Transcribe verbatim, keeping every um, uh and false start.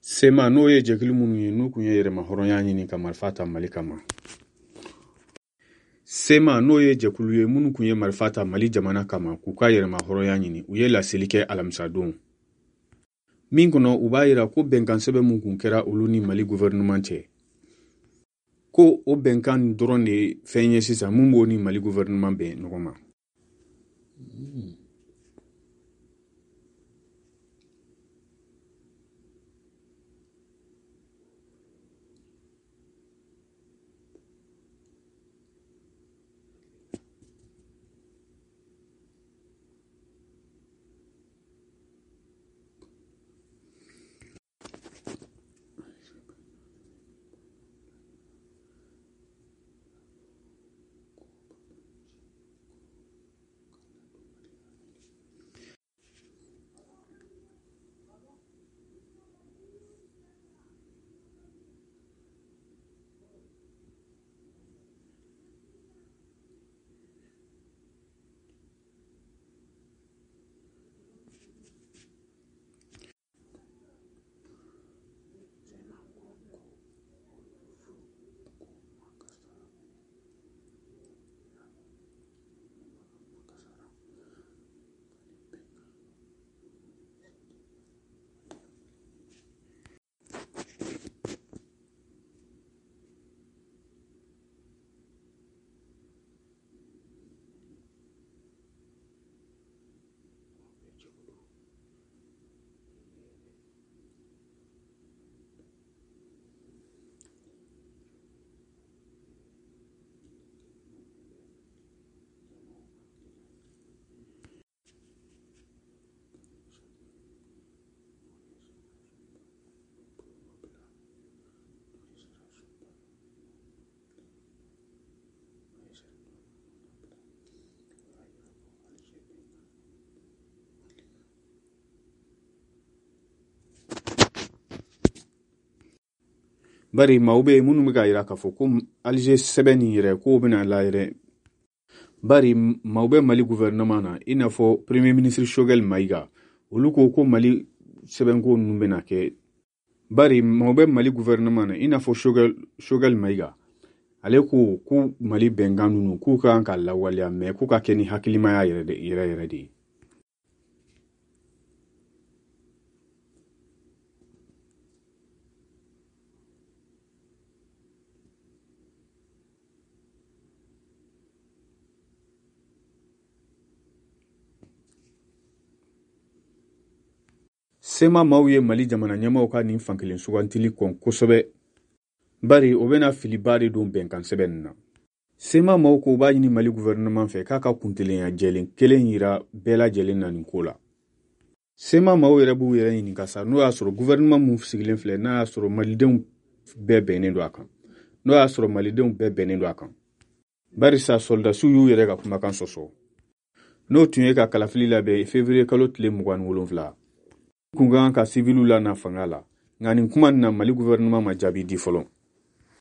C M A, n'o ye jɛkulu minnu ye n'u kun ye yɛrɛmahɔrɔnya ɲini ka marifa ta Mali kama. C M A, n'o ye jɛkulu ye minnu kun ye marifa ta Mali jamana kama k'u ka yɛrɛmahɔrɔnya ɲini, u ye laseli kɛ alamisadon min kɔnɔ, u b'a yira ko bɛnkan sɛbɛn mun kun kɛra olu ni Mali gouvernement cɛ, ko o bɛnkan dɔrɔn de ye fɛn ye sisan mun b'o ni Mali gouvernement bɛn ɲɔgɔn ma. Bari maaw bɛ yen minnu bɛ k'a yira k'a fɔ ko Alger sɛbɛn nin yɛrɛ k'o bɛna la yɛrɛ, bari maaw bɛ Mali gouvernement na, i n'a fɔ premier ministre Choguel Maïga, olu ko ko Mali sɛbɛnko ninnu bɛna kɛ. Bari maaw bɛ Mali gouvernement na, i n'a fɔ Choguel Choguel Maïga, ale ko ko Mali bɛnkan ninnu k'u ka kan ka lawaleya, mais k'u ka kɛ ni hakilimaya yɛrɛ de yɛrɛ yɛrɛ de ye. C M A maaw ye Mali jamana ɲɛmaaw ka nin fankelen sugantili kɔn kosɛbɛ, bari o bɛna filiba de don bɛnkan sɛbɛn nin na. C M A maaw ko u b'a ɲini Mali gouvernement fɛ k'a ka kuntelenya jɛlen kelen yira bɛɛ lajɛlen na nin ko la. C M A maaw yɛrɛ b'u yɛrɛ ɲininka sa, n'o y'a sɔrɔ gouvernement mun sigilen filɛ, n'a y'a sɔrɔ malidenw bɛɛ bɛnnen don a kan, n'o y'a sɔrɔ malidenw bɛɛ bɛnnen don a kan, barisa sɔrɔdasiw y'u yɛrɛ ka kumakan sɔsɔ, n'o tun ye ka kalafili labɛn février kalo tile mugan ni wolonfila kun kan ka siviliw lana fanga la. Nka nin kuma nin na, Mali gouvernement ma jaabi di fɔlɔ.